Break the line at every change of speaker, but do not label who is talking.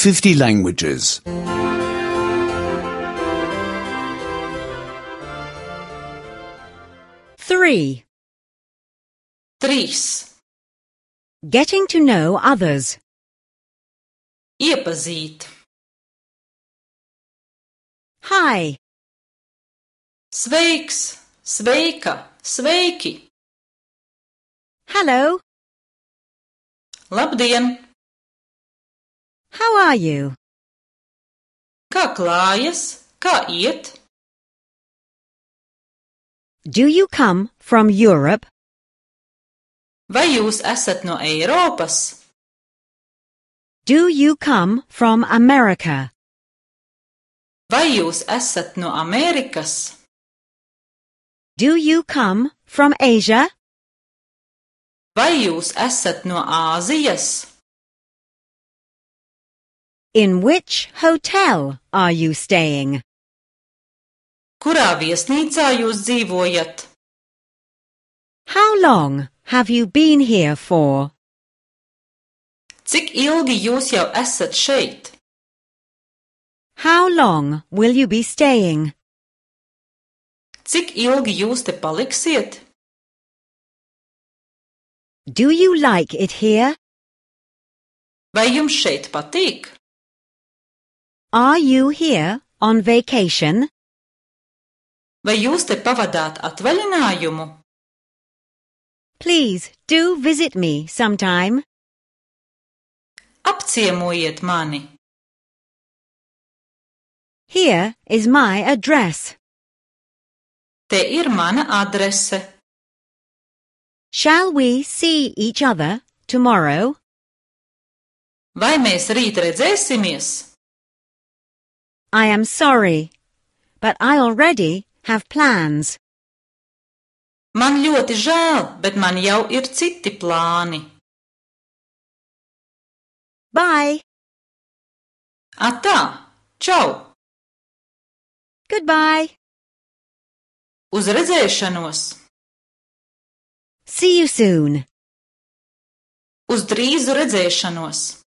50 languages.
3.
3.
Getting to know others.
Iepazīt.
Hi.
Sveiks, sveika, sveiki.
Hello.
Labdien!
How are you?
Kā klājas? Kā iet?
Do you come from Europe?
Vai jūs esat no Eiropas?
Do you come from America?
Vai jūs esat no Amerikas?
Do you come from Asia?
Vai jūs esat no Āzijas?
In which hotel are you staying?
Kurā viesnīcā jūs dzīvojat?
How long have you been here for?
Cik ilgi jūs jau esat šeit?
How long will you be staying?
Cik ilgi jūs te paliksiet?
Do you like it here?
Vai jums šeit patīk?
Are you here on vacation?
Vai jūs te pavadāt atvaļinājumu?
Please do visit me sometime.
Apciemojiet mani!
Here is my address.
Te ir mana adrese.
Shall we see each other tomorrow?
Vai mēs rīt redzēsimies?
I am sorry, but I already have plans.
Man ļoti žēl, bet man jau ir citi plāni.
Bye.
Atā! Čau!
Goodbye.
Uz redzēšanos!
See you soon.
Uz drīzu redzēšanos!